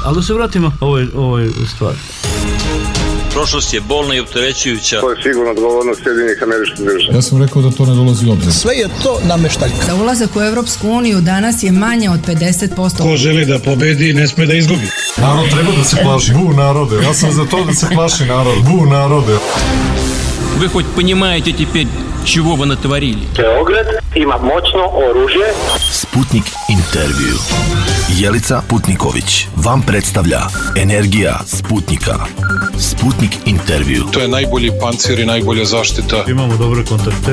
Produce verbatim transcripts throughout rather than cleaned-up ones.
Ali da se vratimo ovoj, ovoj stvari. Prošlost je bolna i opterećujuća. To je sigurno odgovornost Sjedinjenih Američkih Država. Ja sam rekao da to ne dolazi u obzir. Sve je to nameštaljka. Da ulazak u Evropsku uniju danas je manje od pedeset posto. Ko želi da pobedi, ne sme da izgubi. Narod treba da se plaši. Bu narode. Ja sam za to da se plaši narod. Bu narode. Вы хоть понимаете теперь, чего вы натворили? Beograd ima moćno oružje. Sputnik intervju. Jelica Putniković vam predstavlja Energija Sputnika. Sputnik intervju. To je najbolji pancir i najbolja zaštita. Imamo dobre kontakte.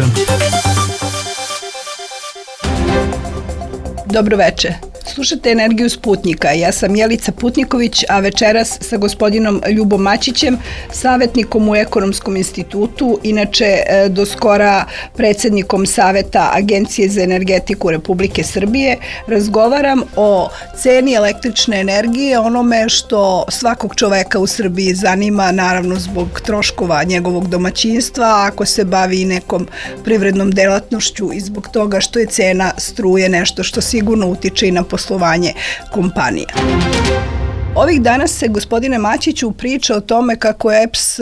Dobro veče. Slušate Energiju Sputnika. Ja sam Jelica Putniković, a večeras sa gospodinom Ljubom Maćićem, savjetnikom u Ekonomskom institutu, inače do skora predsjednikom Saveta Agencije za energetiku Republike Srbije, razgovaram o ceni električne energije, onome što svakog čoveka u Srbiji zanima, naravno zbog troškova njegovog domaćinstva, ako se bavi nekom privrednom delatnošću i zbog toga što je cena struje nešto što sigurno utiče i na poslovanje kompanija. Ovih dana se, gospodine Maćiću, priča o tome kako E P S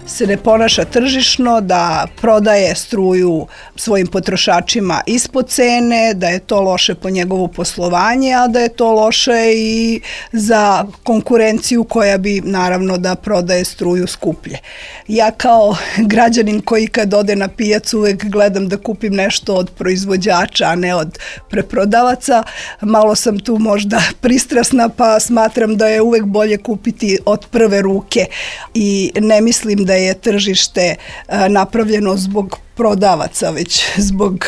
se ne ponaša tržišno, da prodaje struju svojim potrošačima ispod cene, da je to loše po njegovo poslovanje, a da je to loše i za konkurenciju koja bi naravno da prodaje struju skuplje. Ja kao građanin koji kad ode na pijacu uvek gledam da kupim nešto od proizvođača, a ne od preprodavaca, malo sam tu možda pristrasna pa smatram da je uvek bolje kupiti od prve ruke i ne mislim da je tržište napravljeno zbog prodavaca, već zbog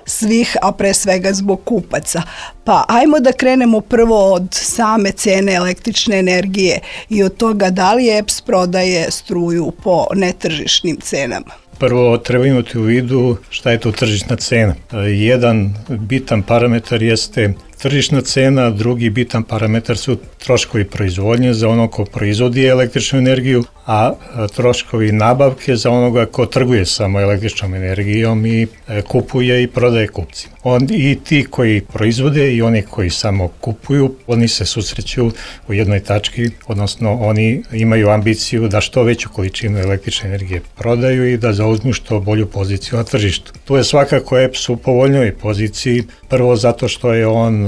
svih, a pre svega zbog kupaca. Pa ajmo da krenemo prvo od same cene električne energije i od toga da li E P S prodaje struju po netržišnim cenama. Prvo treba imati u vidu šta je to tržišna cena. Jedan bitan parametar jeste tržišna cena, drugi bitan parametar su troškovi proizvodnje za ono ko proizvodi električnu energiju, a troškovi nabavke za onoga ko trguje samo električnom energijom i kupuje i prodaje kupcima. On, i ti koji proizvode i oni koji samo kupuju, oni se susreću u jednoj tački, odnosno oni imaju ambiciju da što veću količinu električne energije prodaju i da zauzmu što bolju poziciju na tržištu. Tu je svakako E P S u povoljnoj poziciji, prvo zato što je on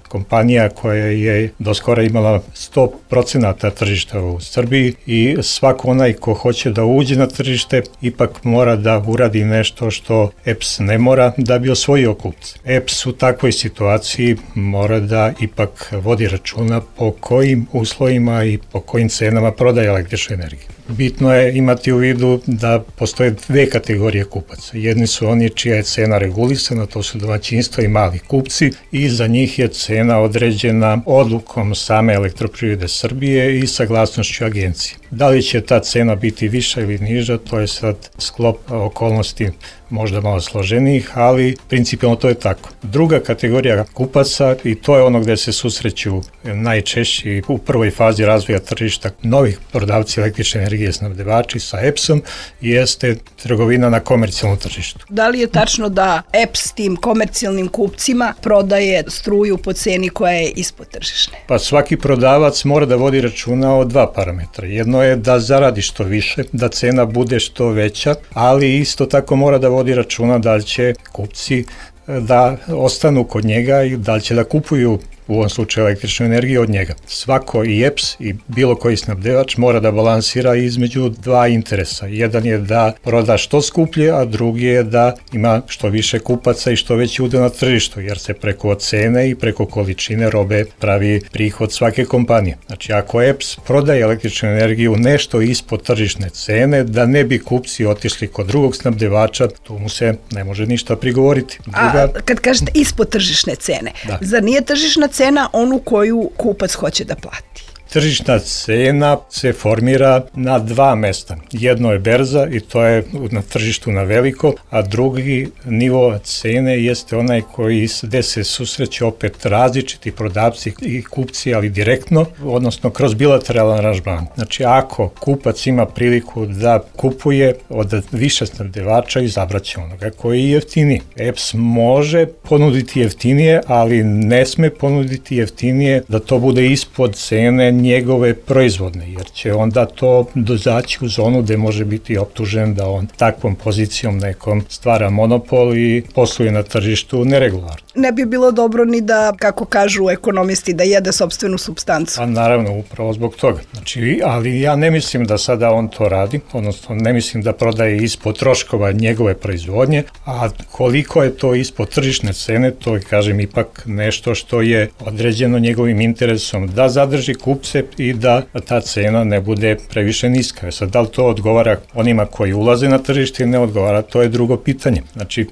kompanija koja je do skora imala sto procenata tržišta u Srbiji i svako onaj ko hoće da uđe na tržište ipak mora da uradi nešto što E P S ne mora da bi osvojio kupce. E P S u takvoj situaciji mora da ipak vodi računa po kojim uslovima i po kojim cenama prodaje električnu energiju. Bitno je imati u vidu da postoje dve kategorije kupaca. Jedni su oni čija je cena regulisana, to su domaćinstva i mali kupci i za njih je cena određena odlukom same Elektroprivrede Srbije i saglasnošću agencije. Da li će ta cena biti viša ili niža, to je sad sklop okolnosti možda malo složenijih, ali principijalno to je tako. Druga kategorija kupaca, i to je ono gde se susreću najčešće u prvoj fazi razvoja tržišta novih prodavci električne energije snabdevači sa E P S-om, jeste trgovina na komercijalnom tržištu. Da li je tačno da E P S tim komercijalnim kupcima prodaje struju po ceni koja je ispod tržišne? Pa svaki prodavac mora da vodi računa o dva parametra. Jedno je da zaradi što više, da cena bude što veća, ali isto tako mora da vodi računa da li će kupci da ostanu kod njega i da li će da kupuju u ovom slučaju električnu energiju od njega. Svako i E P S i bilo koji snabdevač mora da balansira između dva interesa. Jedan je da proda što skuplje, a drugi je da ima što više kupaca i što veći udeo na tržištu, jer se preko cene i preko količine robe pravi prihod svake kompanije. Znači, ako E P S prodaje električnu energiju nešto ispod tržišne cene, da ne bi kupci otišli kod drugog snabdevača, tu mu se ne može ništa prigovoriti. Druga... A kad kažete ispod tržišne cene, da. Zar nije tržišna cena onu koju kupac hoće da plati? tržišna cena se formira na dva mesta. Jedno je berza i to je na tržištu na veliko, a drugi nivo cene jeste onaj koji gde se susreće opet različiti prodavci i kupci, ali direktno, odnosno kroz bilateralan aranžman. Znači, ako kupac ima priliku da kupuje od više snabdevača, izabraće onoga koji je jeftiniji. E P S može ponuditi jeftinije, ali ne sme ponuditi jeftinije da to bude ispod cene njegove proizvodne, jer će onda to dozaći u zonu gde može biti optužen da on takvom pozicijom nekom stvara monopol i posluje na tržištu neregularno. Ne bi bilo dobro ni da, kako kažu ekonomisti, da jede sopstvenu supstancu. A naravno, upravo zbog toga. Znači, ali ja ne mislim da sada on to radi, odnosno ne mislim da prodaje ispod troškova njegove proizvodnje, a koliko je to ispod tržišne cene, to je, kažem, ipak nešto što je određeno njegovim interesom da zadrži kupce i da ta cena ne bude previše niska. Sad, da li to odgovara onima koji ulaze na tržište ili ne odgovara, to je drugo pitanje. Znači, e,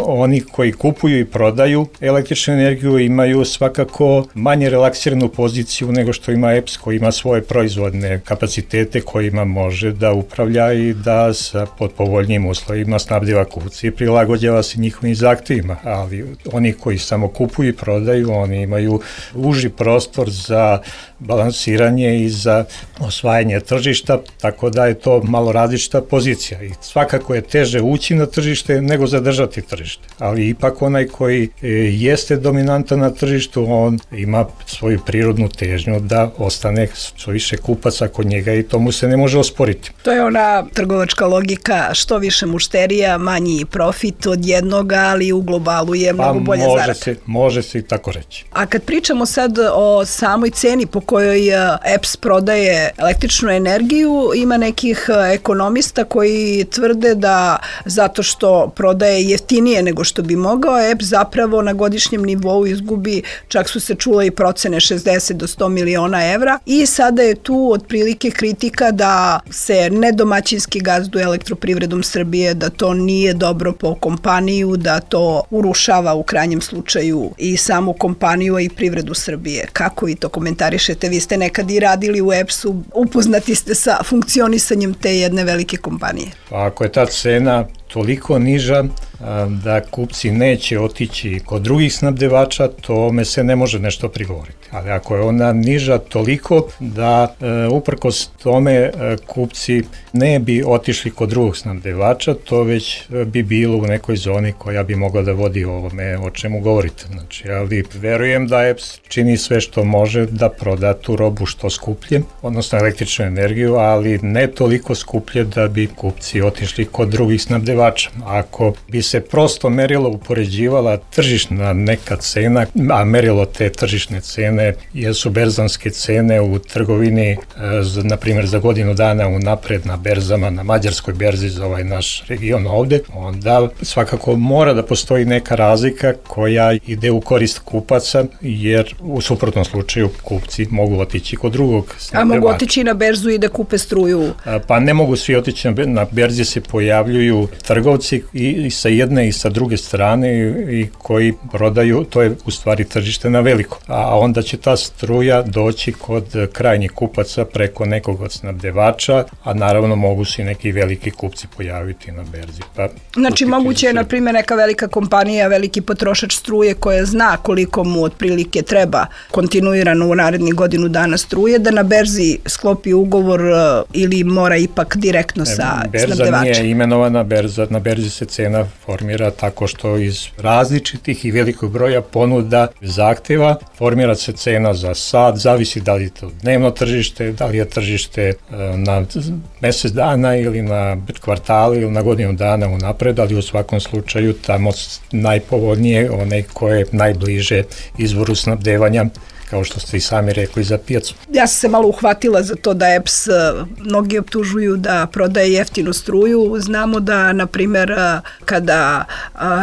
oni koji kupuju i prodaju električnu energiju imaju svakako manje relaksiranu poziciju nego što ima E P S, koji ima svoje proizvodne kapacitete kojima može da upravlja i da sa pod povoljnijim uslovima snabdeva kupce i prilagođava se njihovim zahtevima, ali oni koji samo kupuju i prodaju, oni imaju uži prostor za balansiranje i za osvajanje tržišta, tako da je to malo različita pozicija i svakako je teže ući na tržište nego zadržati tržište, ali ipak onaj koji jeste dominantan na tržištu, on ima svoju prirodnu težnju da ostane što više kupaca kod njega i to mu se ne može osporiti. To je ona trgovačka logika, što više mušterija, manji profit od jednoga, ali u globalu je mnogo pa bolja može zarada. Se, može se i tako reći. A kad pričamo sad o samoj ceni po kojoj E P S prodaje električnu energiju, ima nekih ekonomista koji tvrde da zato što prodaje jeftinije nego što bi mogao, E P S zapravo na godišnjem nivou izgubi, čak su se čule i procene šezdeset do sto miliona evra i sada je tu otprilike kritika da se nedomaćinski gazduje Elektroprivredom Srbije, da to nije dobro po kompaniju, da to urušava u krajnjem slučaju i samu kompaniju i privredu Srbije. Kako vi to komentarišete? Vi ste nekad i radili u E P S-u, upoznati ste sa funkcionisanjem te jedne velike kompanije. Pa ako je ta cena toliko niža da kupci neće otići kod drugih snabdevača, tome se ne može nešto prigovoriti. Ali ako je ona niža toliko da e, uprkos tome e, kupci ne bi otišli kod drugog snabdevača, to već bi bilo u nekoj zoni koja bi mogla da vodi ovome o čemu govorite. Znači, ali verujem da E P S čini sve što može da proda tu robu što skuplje, odnosno električnu energiju, ali ne toliko skuplje da bi kupci otišli kod drugih snabdevača. Ako bi se prosto merilo upoređivala tržišna neka cena, a merilo te tržišne cene jesu berzanske cene u trgovini, na primjer za godinu dana unapred na berzama, na mađarskoj berzi za ovaj naš region ovde, onda svakako mora da postoji neka razlika koja ide u korist kupaca, jer u suprotnom slučaju kupci mogu otići kod drugog snabdevača. A mogu otići na berzu i da kupe struju? Pa ne mogu svi otići na berzi, se pojavljuju trgovci i sa jedne i sa druge strane i koji prodaju, to je u stvari tržište na veliko. A onda će ta struja doći kod krajnjih kupaca preko nekog od snabdevača, a naravno mogu se i neki veliki kupci pojaviti na berzi. Pa, znači moguće je, na primjer, neka velika kompanija, veliki potrošač struje koja zna koliko mu otprilike treba kontinuirano u narednih godinu dana struje, da na berzi sklopi ugovor ili mora ipak direktno sa snabdevačem? Berza nije imenovana berza, na berzi se cena formira tako što iz različitih i velikog broja ponuda zahteva formira se cena za sat, zavisi da li je to dnevno tržište, da li je tržište na mesec dana ili na kvartali ili na godinu dana unapred, ali u svakom slučaju tamo najpovoljnije one koje je najbliže izvoru snabdevanja, kao što ste i sami rekli, za pijacu. Ja sam se malo uhvatila za to da E P S mnogi optužuju da prodaje jeftinu struju. Znamo da, na primjer, kada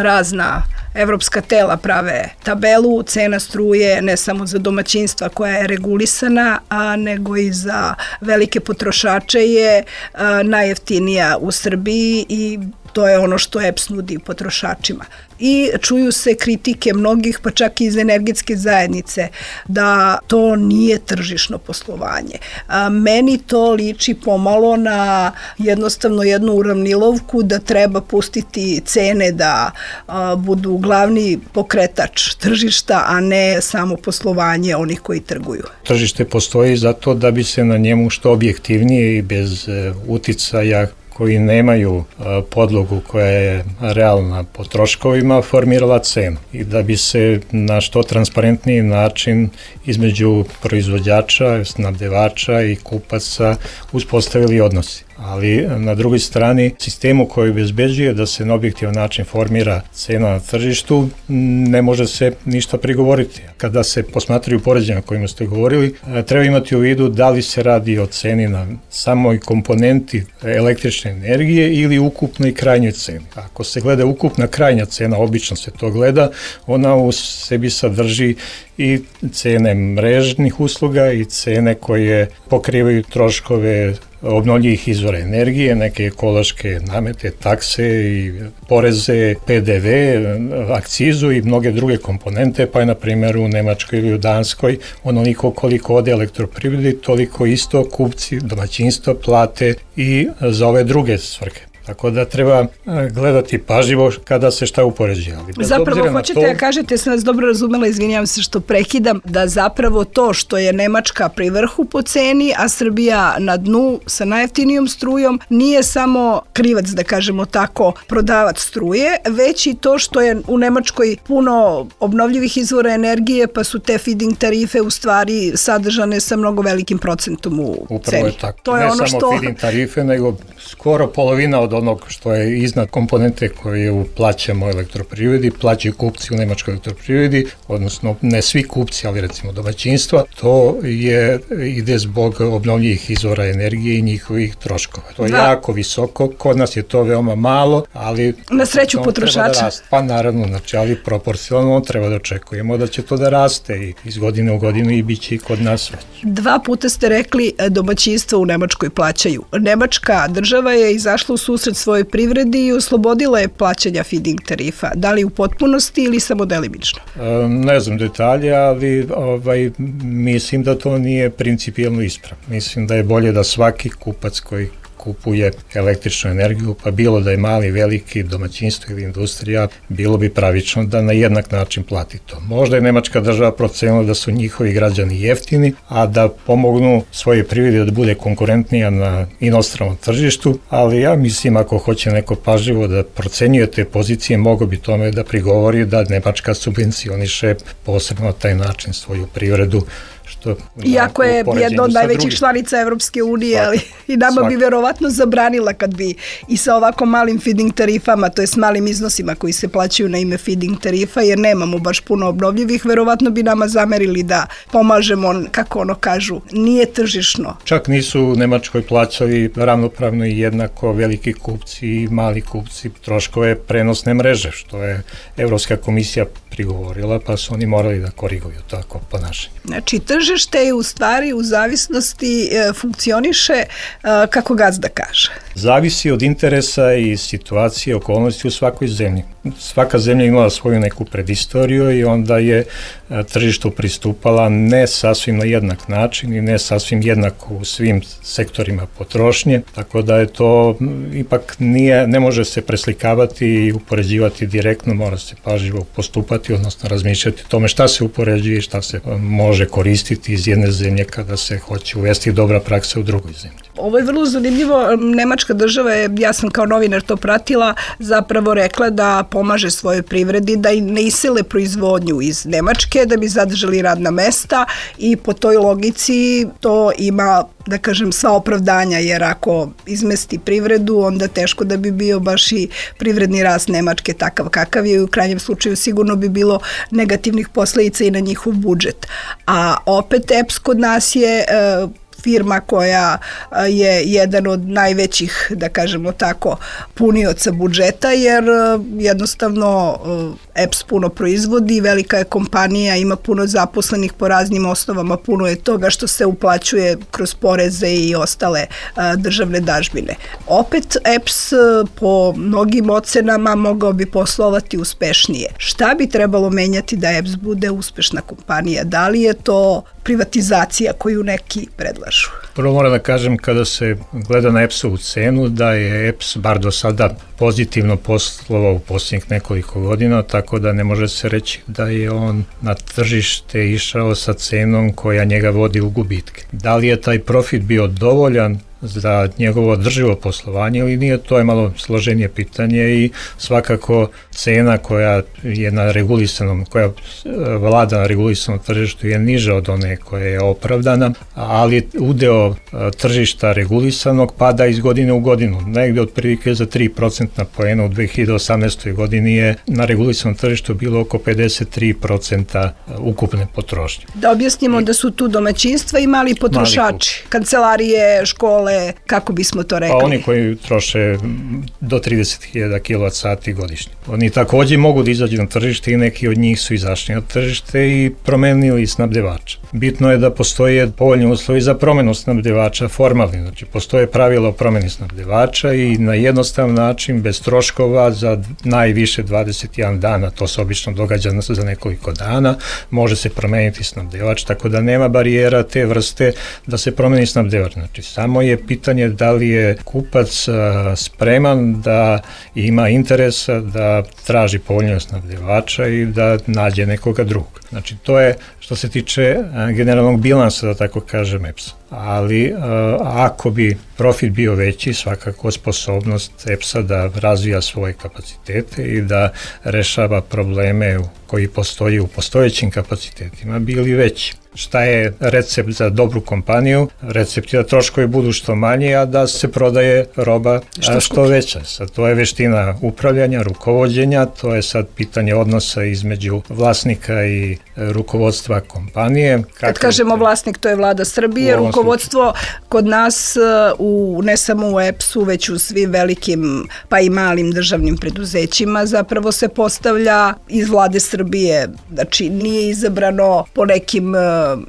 razna evropska tela prave tabelu, cena struje ne samo za domaćinstva koja je regulisana, a nego i za velike potrošače je a, najjeftinija u Srbiji i to je ono što E P S nudi potrošačima. I čuju se kritike mnogih, pa čak i iz energetske zajednice, da to nije tržišno poslovanje. A, meni to liči pomalo na jednostavno jednu uravnilovku da treba pustiti cene da a, budu glavni pokretač tržišta, a ne samo poslovanje onih koji trguju. Tržište postoji zato da bi se na njemu što objektivnije i bez e, uticaja koji nemaju a, podlogu koja je realna po troškovima formirala cenu i da bi se na što transparentniji način između proizvođača, snabdevača i kupaca uspostavili odnosi. Ali na drugoj strani sistemu koji obezbeđuje da se na objektivan način formira cena na tržištu ne može se ništa prigovoriti. Kada se posmatraju poređenja o kojima ste govorili, treba imati u vidu da li se radi o ceni na samoj komponenti električne energije ili ukupnoj krajnjoj ceni. Ako se gleda ukupna krajnja cena, obično se to gleda, ona u sebi sadrži i cene mrežnih usluga i cene koje pokrivaju troškove obnovljivih izvora energije, neke ekološke namete, takse i poreze, P D V, akcizu i mnoge druge komponente, pa je na primjer u Nemačkoj ili u Danskoj onoliko koliko ode elektroprivredi, toliko isto kupci, domaćinstva plate i za ove druge svrhe. Tako da treba gledati pažljivo kada se šta upoređuje. Zapravo hoćete da kažete, sam vas dobro razumela, izvinjavam se što prekidam, da zapravo to što je Nemačka pri vrhu po ceni, a Srbija na dnu sa najjeftinijom strujom, nije samo krivac, da kažemo tako, prodavac struje, već i to što je u Nemačkoj puno obnovljivih izvora energije, pa su te feed-in tarife u stvari sadržane sa mnogo velikim procentom u Upravo ceni. Je tako. To je ne ono samo što... feed-in tarife, nego skoro polovina od onog što je iznad komponente koje plaćamo elektroprivredi, plaćaju kupci u Nemačkoj elektroprivredi, odnosno ne svi kupci, ali recimo domaćinstva, to je ide zbog obnovljivih izvora energije i njihovih troškova. To je da. jako visoko, kod nas je to veoma malo, ali na sreću potrošača. Da pa naravno, znači, ali proporcionalno treba da očekujemo da će to da raste i iz godine u godinu i bit će i kod nas već. Dva puta ste rekli domaćinstva u Nemačkoj plaćaju. Nemačka država je izašla u susret svojoj privredi i oslobodila je plaćanja feed-in tarifa. Da li u potpunosti ili samo delimično? E, ne znam detalje, ali ovaj, mislim da to nije principijelno ispravno. Mislim da je bolje da svaki kupac koji kupuje električnu energiju, pa bilo da je mali, veliki, domaćinstvo ili industrija, bilo bi pravično da na jednak način plati to. Možda je Nemačka država procenila da su njihovi građani jeftini, a da pomognu svoje privredi da bude konkurentnija na inostranom tržištu, ali ja mislim ako hoće neko pažljivo da procenjuje te pozicije, mogo bi tome da prigovori da Nemačka subvencioniše posebno na taj način svoju privredu. Što, iako je jedna od najvećih članica Evropske unije, svaki, ali i nama svaki. bi verovatno zabranila kad bi i sa ovako malim feed-in tarifama, to je s malim iznosima koji se plaćaju na ime feed-in tarifa, jer nemamo baš puno obnovljivih, verovatno bi nama zamerili da pomažemo, kako ono kažu, nije tržišno. Čak nisu u Nemačkoj plaćali ravnopravno i jednako veliki kupci i mali kupci troškove prenosne mreže, što je Evropska komisija prigovorila, pa su oni morali da koriguju tako ponašanje. Znači, tržište je u stvari u zavisnosti e, funkcioniše e, kako gazda kaže. Zavisi od interesa i situacije, okolnosti u svakoj zemlji. Svaka zemlja imala svoju neku predistoriju i onda je e, tržištu pristupala ne sasvim na jednak način i ne sasvim jednako u svim sektorima potrošnje, tako da je to m, ipak nije, ne može se preslikavati i upoređivati direktno, mora se pažljivo postupati, odnosno razmišljati o tome šta se upoređuje i šta se e, može koristiti iz jedne zemlje kada se hoće uvesti dobra praksa u drugoj zemlji. Ovo je vrlo zanimljivo. Nemačka država je, ja sam kao novinar to pratila, zapravo rekla da pomaže svojoj privredi, da i ne isele proizvodnju iz Nemačke, da bi zadržali radna mesta i po toj logici to ima, da kažem, sva opravdanja, jer ako izmesti privredu, onda teško da bi bio baš i privredni rast Nemačke takav kakav je i u krajnjem slučaju sigurno bi bilo negativnih posledica i na njihov budžet. A opet E P S kod nas je e, firma koja je jedan od najvećih, da kažemo tako, punioca budžeta, jer jednostavno E P S puno proizvodi, velika je kompanija, ima puno zaposlenih po raznim osnovama, puno je toga što se uplaćuje kroz poreze i ostale a, državne dažbine. Opet E P S po mnogim ocenama mogao bi poslovati uspešnije. Šta bi trebalo menjati da E P S bude uspešna kompanija? Da li je to privatizacija koju neki predlažu? Prvo moram da kažem, kada se gleda na E P S-ovu cenu, da je E P S bar do sada pozitivno poslovao u posljednjih nekoliko godina, tako da ne može se reći da je on na tržište išao sa cenom koja njega vodi u gubitke. Da li je taj profit bio dovoljan za njegovo održivo poslovanje ili nije, to je malo složenije pitanje i svakako cena koja je na regulisanom, koja vlada na regulisanom tržištu je niža od one koja je opravdana, ali udeo tržišta regulisanog pada iz godine u godinu. Negde otprilike za tri procentna poena u dve hiljade osamnaestoj godini je na regulisanom tržištu bilo oko pedeset tri procenta ukupne potrošnje. Da objasnimo da su tu domaćinstva i mali potrošači, kancelarije, škole, kako bismo to rekli? Pa oni koji troše do trideset hiljada kilovat sati godišnje. Oni takođe mogu da izađu na tržište i neki od njih su izašli na tržište i promenili snabdevača. Bitno je da postoje povoljni uslovi za promenu snabdevača formalni, znači postoje pravila o promeni snabdevača i na jednostavan način, bez troškova, za najviše dvadeset jedan dana, to se obično događa za nekoliko dana, može se promeniti snabdevač, tako da nema barijera te vrste da se promeni snabdevač. Znači samo je pitanje da li je kupac spreman da ima interesa da traži povoljnijeg snabdevača i da nađe nekoga drugog. Znači to je što se tiče generalnog bilansa, da tako kažem, E P S-a. Ali ako bi profit bio veći, svakako sposobnost E P S-a da razvija svoje kapacitete i da rešava probleme koji postoji u postojećim kapacitetima bili veći. Šta je recept za dobru kompaniju? Recept je da troškovi budu što manji, a da se prodaje roba što, što veća. Sad, to je veština upravljanja, rukovođenja, to je sad pitanje odnosa između vlasnika i rukovodstva kompanije. Kad Kako kažemo vlasnik, to je vlada Srbije, rukovodstvo kod nas, u, ne samo u E P S-u, već u svim velikim pa i malim državnim preduzećima, zapravo se postavlja iz vlade Srbije. Znači, nije izabrano po nekim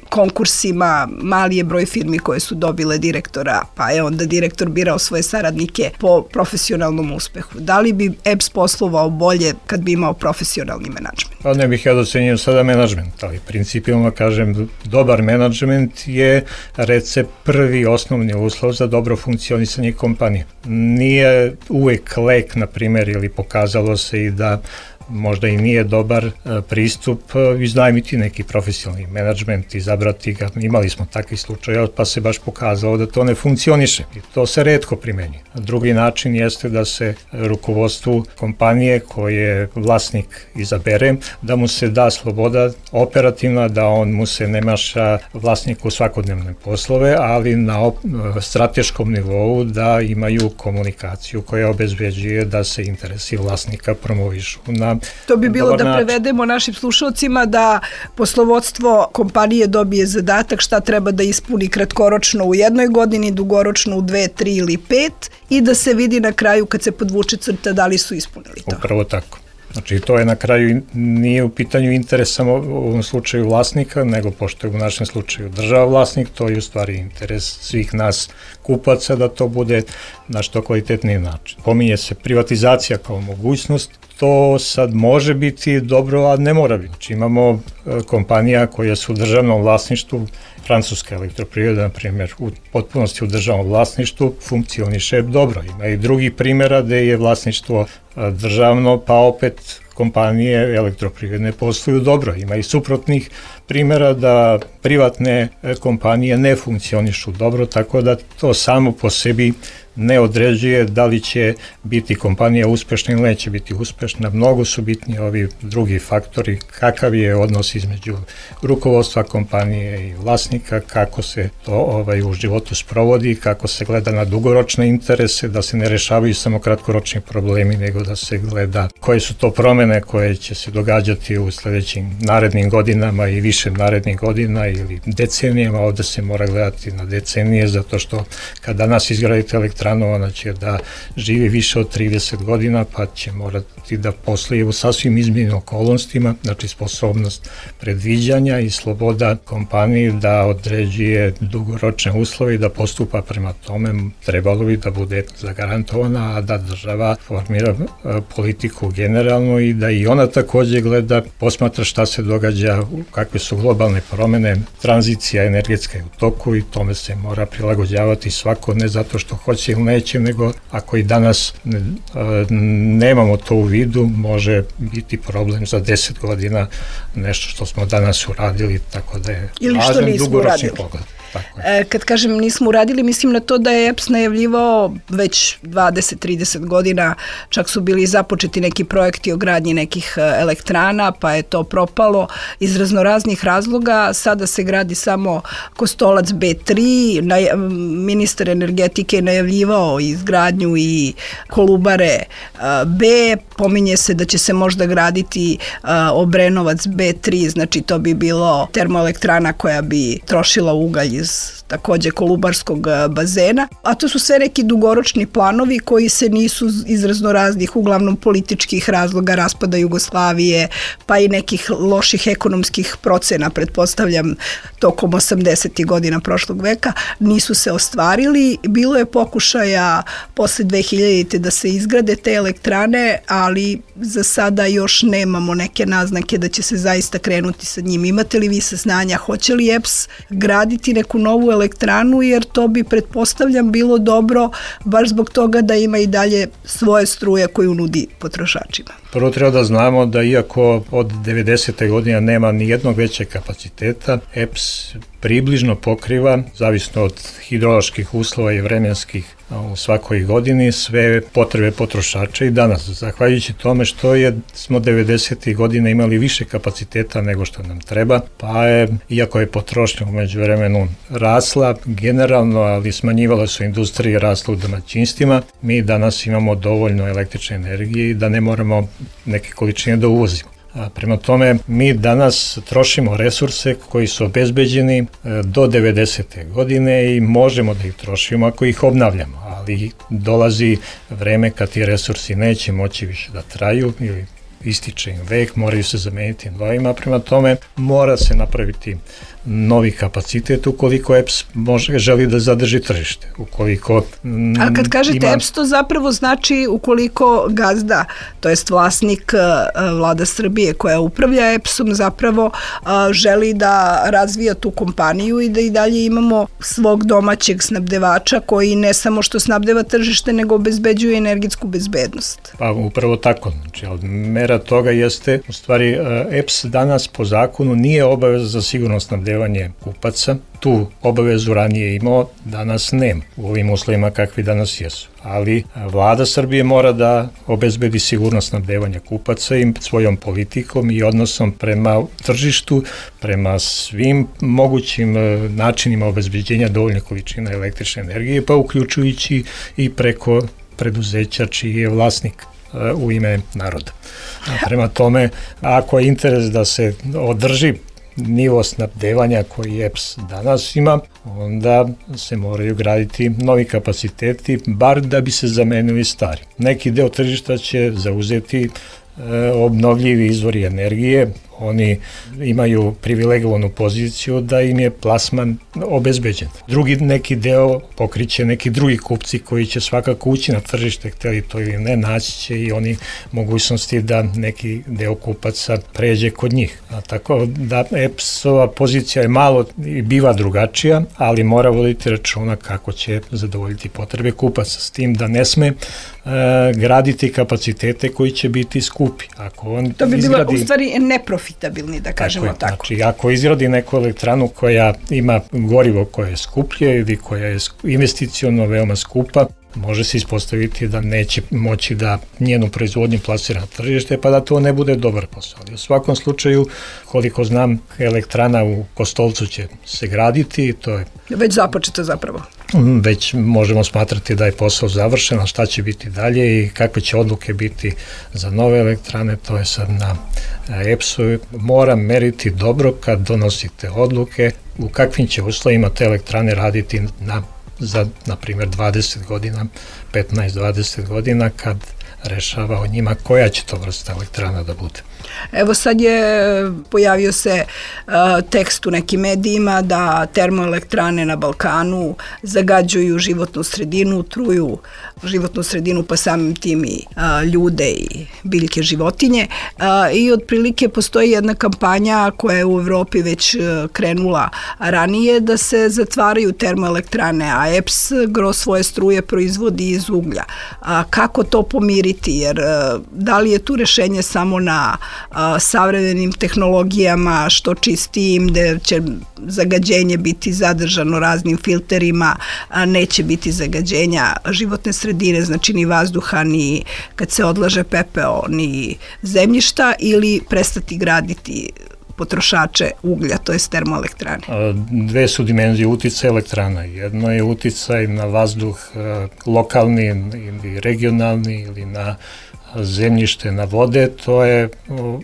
konkursima, mali je broj firmi koje su dobile direktora, pa je onda direktor birao svoje saradnike po profesionalnom uspehu. Da li bi E P S poslovao bolje kad bi imao profesionalni menadžment? Pa ne bih ja docenio sada menadžment, ali principijalno kažem, dobar menadžment je recept, prvi osnovni uslov za dobro funkcionisanje kompanije. Nije uvek lek, na primjer, ili pokazalo se i da možda i nije dobar pristup iznajmiti neki profesionalni menadžment, izabrati ga. Imali smo takvi slučaje, pa se baš pokazalo da to ne funkcioniše i to se retko primenjuje. Drugi način jeste da se rukovodstvu kompanije koje vlasnik izabere, da mu se da sloboda operativna, da on mu se ne maša vlasniku svakodnevne poslove, ali na op- strateškom nivou da imaju komunikaciju koja obezbeđuje da se interesi vlasnika promovišu na To bi bilo da prevedemo našim slušalcima da poslovodstvo kompanije dobije zadatak šta treba da ispuni kratkoročno u jednoj godini, dugoročno u dve, tri ili pet i da se vidi na kraju kad se podvuče crta da li su ispunili to. Upravo tako. Znači to je na kraju, nije u pitanju interes samo u ovom slučaju vlasnika, nego pošto je u našem slučaju država vlasnik, to je u stvari interes svih nas kupaca da to bude na što kvalitetniji način. Pominje se privatizacija kao mogućnost, to sad može biti dobro, a ne mora biti. Znači imamo kompanija koje su u državnom vlasništvu, Francuska elektroprivreda, na primjer, u potpunosti u državnom vlasništvu, funkcioniše dobro. Ima i drugih primjera gde je vlasništvo državno, pa opet kompanije elektroprivredne posluju dobro. Ima i suprotnih primjera da privatne kompanije ne funkcionišu dobro, tako da to samo po sebi ne određuje da li će biti kompanija uspešna ili neće biti uspešna. Mnogo su bitni ovi drugi faktori, kakav je odnos između rukovodstva kompanije i vlasnika, kako se to ovaj, u životu sprovodi, kako se gleda na dugoročne interese, da se ne rešavaju samo kratkoročni problemi, nego nego da se gleda koje su to promene koje će se događati u sledećim narednim godinama i više narednih godina ili decenijama. Ovde se mora gledati na decenije, zato što kad danas izgradite elektranu, ona će da živi više od trideset godina, pa će morati da poslije u sasvim izmjenim okolnostima, znači sposobnost predviđanja i sloboda kompaniji da određuje dugoročne uslove i da postupa prema tome, trebalo bi da bude zagarantovana, a da država formira politiku generalno i da i ona takođe gleda, posmatra šta se događa, kakve su globalne promene, tranzicija energetska je u toku i tome se mora prilagođavati svako, ne zato što hoće ili neće, nego ako i danas ne, nemamo to u vidu, može biti problem za deset godina, nešto što smo danas uradili, tako da je važan dugoročni pogled. E, kad kažem nismo uradili, mislim na to da je E P S najavljivao već dvadeset do trideset godina, čak su bili započeti neki projekti o gradnji nekih elektrana, pa je to propalo iz raznoraznih razloga. Sada se gradi samo Kostolac B tri, na, ministar energetike je najavljivao izgradnju i Kolubare B, pominje se da će se možda graditi Obrenovac B tri, znači to bi bilo termoelektrana koja bi trošila ugalj iz takođe kolubarskog bazena, a to su sve neki dugoročni planovi koji se nisu iz raznoraznih, uglavnom političkih razloga, raspada Jugoslavije, pa i nekih loših ekonomskih procena, pretpostavljam, tokom osamdesetih godina prošlog veka, nisu se ostvarili. Bilo je pokušaja posle dve hiljadite da se izgrade te elektrane, ali za sada još nemamo neke naznake da će se zaista krenuti sa njim. Imate li vi saznanja, hoće li E P S graditi neku novu elektranu, jer to bi, pretpostavljam, bilo dobro baš zbog toga da ima i dalje svoje struje koju nudi potrošačima. Prvo treba da znamo da iako od devedesete godine nema ni jednog većeg kapaciteta, E P S približno pokriva, zavisno od hidroloških uslova i vremenskih u svakoj godini, sve potrebe potrošača i danas. Zahvaljujući tome što je, smo devedesetih godina imali više kapaciteta nego što nam treba, pa je, iako je potrošnja umeđu vremenu rasla generalno, ali smanjivala su industrije, rasla u domaćinstvima, mi danas imamo dovoljno električne energije i da ne moramo neke količine da uvozimo. A prema tome, mi danas trošimo resurse koji su obezbeđeni do devedesete godine i možemo da ih trošimo ako ih obnavljamo, ali dolazi vreme kad ti resursi neće moći više da traju ili ističe im vek, moraju se zameniti novima, prema tome mora se napraviti novi kapacitet ukoliko E P S može, želi da zadrži tržište. Ukoliko m, A kad kažete ima... E P S, to zapravo znači ukoliko gazda, to jest vlasnik Vlada Srbije koja upravlja E P S-om, zapravo želi da razvija tu kompaniju i da i dalje imamo svog domaćeg snabdevača koji ne samo što snabdeva tržište, nego obezbeđuje energetsku bezbednost. Pa upravo tako. Znači, od mera toga jeste, u stvari E P S danas po zakonu nije obaveza za sigurno snabdevanje kupaca. Tu obavezu ranije imao, danas nema u ovim uslovima kakvi danas jesu. Ali Vlada Srbije mora da obezbedi sigurnost snabdevanja kupaca i svojom politikom i odnosom prema tržištu, prema svim mogućim načinima obezbeđenja dovoljne količine električne energije, pa uključujući i preko preduzeća čiji je vlasnik u ime naroda. Prema tome, ako je interes da se održi nivo snabdevanja koji E P S danas ima, onda se moraju graditi novi kapaciteti, bar da bi se zamenili stari. Neki deo tržišta će zauzeti e, obnovljivi izvori energije, oni imaju privilegovanu poziciju da im je plasman obezbeđen. Drugi neki deo pokriće neki drugi kupci koji će svakako ući na tržište, hteli to ili ne, naći će i oni mogućnosti da neki deo kupaca pređe kod njih. A tako da E P S-ova pozicija je malo i biva drugačija, ali mora voditi računa kako će zadovoljiti potrebe kupaca, s tim da ne sme e, graditi kapacitete koji će biti skupi. Ako on to bi izgradi... bilo u stvari neprofitabilni, da kažemo tako. tako. Znači, ako izgradi neku elektranu koja ima gorivo koje je skuplje ili koja je investiciono veoma skupa, može se ispostaviti da neće moći da njenu proizvodnju plasira na tržište, pa da to ne bude dobar posao. Ali u svakom slučaju, koliko znam, elektrana u Kostolcu će se graditi, to je već započeto zapravo. već možemo smatrati da je posao završen, a šta će biti dalje i kakve će odluke biti za nove elektrane, to je sad na E P S-u. Mora meriti dobro kad donosite odluke u kakvim će uslovima te elektrane raditi na, za, na primjer, dvadeset godina, petnaest do dvadeset godina, kad rešava o njima koja će to vrsta elektrana da bude. Evo sad je pojavio se uh, tekst u nekim medijima da termoelektrane na Balkanu zagađuju životnu sredinu, truju životnu sredinu, pa samim tim i uh, ljude i biljke, životinje. Uh, I otprilike postoji jedna kampanja koja je u Evropi već uh, krenula ranije da se zatvaraju termoelektrane, a E P S gro svoje struje proizvodi iz uglja. Uh, kako to pomiriti? Jer uh, da li je tu rešenje samo na a, savremenim tehnologijama, što čistijim, da će zagađenje biti zadržano raznim filterima, a neće biti zagađenja životne sredine, znači ni vazduha, ni kad se odlaže pepeo, ni zemljišta, ili prestati graditi potrošače uglja, to je termoelektrane? Dve su dimenzije uticaja elektrana. Jedno je uticaj na vazduh lokalni ili regionalni ili na zemljište, na vode, to je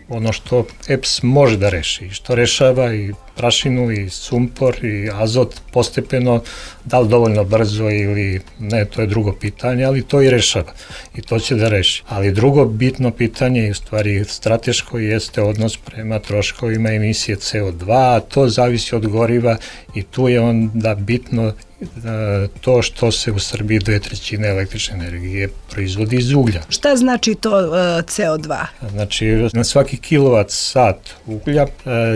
ono što E P S može da reši i što rešava i prašinu i sumpor i azot postepeno, da li dovoljno brzo ili ne, to je drugo pitanje, ali to i rešava i to će da reši. Ali drugo bitno pitanje i u stvari strateško jeste odnos prema troškovima emisije C O dva, a to zavisi od goriva i tu je onda bitno to što se u Srbiji dve trećine električne energije proizvodi iz uglja. Šta znači to uh, C O dva? Znači, na svaki kilovat sat uglja uh,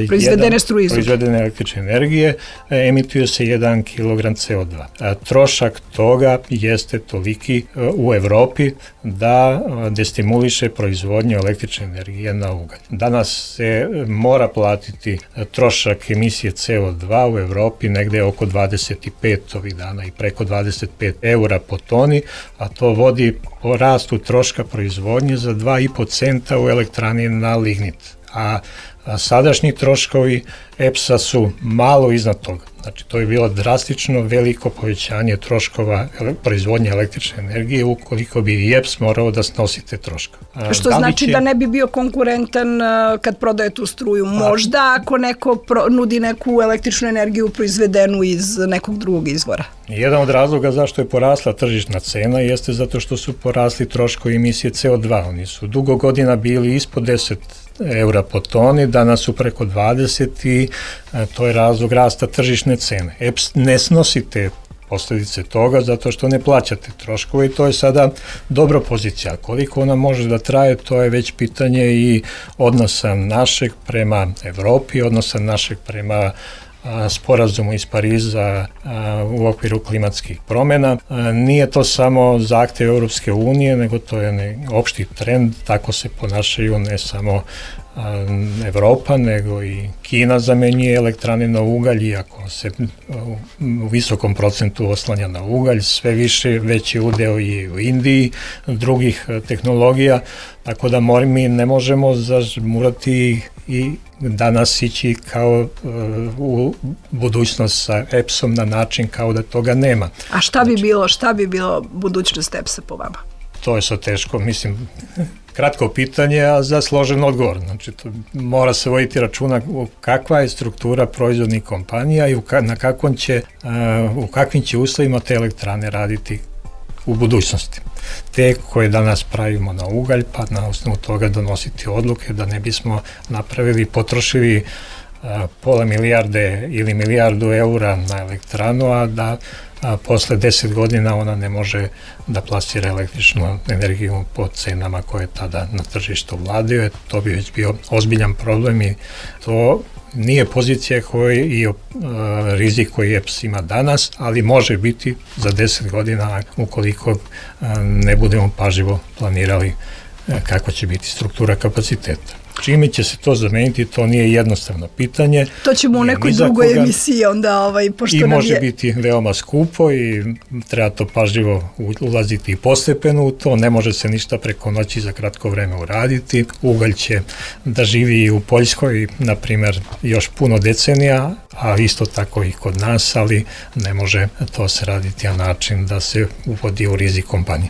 proizvedene jedan, struje iz proizvedene električne energije uh, emituje se jedan kilogram C O dva. Uh, trošak toga jeste toliki uh, u Evropi da uh, destimuliše proizvodnju električne energije na ugalj. Danas se uh, mora platiti uh, trošak emisije C O dva u Evropi negde oko dvadeset pet ovih dana i preko dvadeset pet eura po toni, a to vodi po rastu troška proizvodnje za dva i po centa u elektrani na lignit. A, a sadašnji troškovi E P S-a su malo iznad toga. Znači, to je bilo drastično veliko povećanje troškova ele, proizvodnje električne energije ukoliko bi i E P S morao da snosi te troškove. Što da znači će... da ne bi bio konkurentan kad prodaje tu struju. Možda ako neko pro, nudi neku električnu energiju proizvedenu iz nekog drugog izvora. Jedan od razloga zašto je porasla tržišna cena jeste zato što su porasli troškovi emisije C O dva. Oni su dugo godina bili ispod deset eura po toni, danas su preko dvadeset i a, to je razlog rasta tržišne cene. E P S ne snosi te posljedice toga zato što ne plaćate troškove i to je sada dobra pozicija. Koliko ona može da traje, to je već pitanje i odnosa našeg prema Evropi, odnosa našeg prema a, sporazumu iz Pariza a, u okviru klimatskih promjena. A, nije to samo zahtev Europske unije, nego to je ne, opšti trend, tako se ponašaju ne samo a, Evropa, nego i Kina zamenjuje elektrane na ugalj, iako se u, u visokom procentu oslanja na ugalj, sve više veći udeo i u Indiji, drugih a, tehnologija, tako da mor, mi ne možemo zažmurati i danas ići kao uh, u budućnost sa E P S-om na način kao da toga nema. A šta bi bilo, šta bi bilo budućnost E P S-a po vama? To je so teško, mislim, kratko pitanje, a za složen odgovor. Znači, to mora se voditi računa kakva je struktura proizvodnih kompanija i u, ka, na kakvom će, uh, u kakvim će uslovima te elektrane raditi u budućnosti. Te koje danas pravimo na ugalj, pa na osnovu toga donositi odluke da ne bismo napravili, potrošili uh, pola milijarde ili milijardu eura na elektranu, a da a, posle deset godina ona ne može da plasira električnu energiju po cenama koje tada na tržištu vladaju. To bi već bio ozbiljan problem i to nije pozicija koji i uh, rizik koji E P S ima danas, ali može biti za deset godina ukoliko uh, ne budemo pažljivo planirali uh, kakva će biti struktura kapaciteta. Čime će se to zameniti, to nije jednostavno pitanje. To ćemo u nekoj drugoj emisiji onda, ovaj, pošto I nam može je... biti veoma skupo i treba to pažljivo ulaziti i postepeno u to, ne može se ništa preko noći za kratko vreme uraditi. Ugalj će da živi i u Poljskoj, na primjer, još puno decenija, a isto tako i kod nas, ali ne može to se raditi na način da se uvodi u rizik kompanije.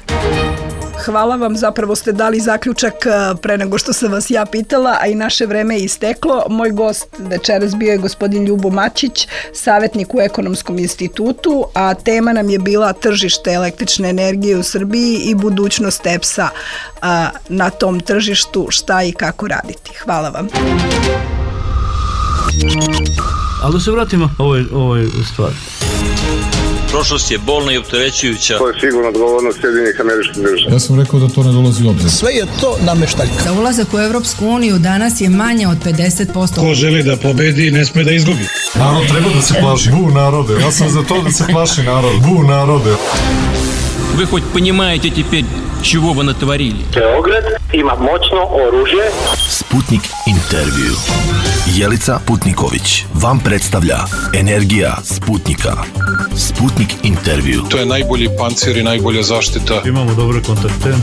Hvala vam, zapravo ste dali zaključak pre nego što sam vas ja pitala, a i naše vreme je isteklo. Moj gost večeras bio je gospodin Ljubo Mačić, savjetnik u Ekonomskom institutu, a tema nam je bila tržište električne energije u Srbiji i budućnost E P S-a na tom tržištu, šta i kako raditi. Hvala vam. Ali da se vratimo ovoj, ovoj stvari. Prošlost je bolna i opterećujuća. To je sigurno odgovornost Sjedinjenih Američkih Država. Ja sam rekao da to ne dolazi u obzir. Sve je to nameštaljka. Za ulazak u Evropsku uniju danas je manje od pedeset posto. Ko želi da pobedi, ne sme da izgubi. Narod treba da se plaši. Bu narode. Ja sam za to da se plaši narod. Bu narode. Вы хоть понимаете теперь, чего вы натворили? Beograd ima moćno oružje. Sputnik intervju. Jelica Putniković vam predstavlja Energija Sputnika. Sputnik intervju. To je najbolji pancir i najbolja zaštita. Imamo dobre kontakte.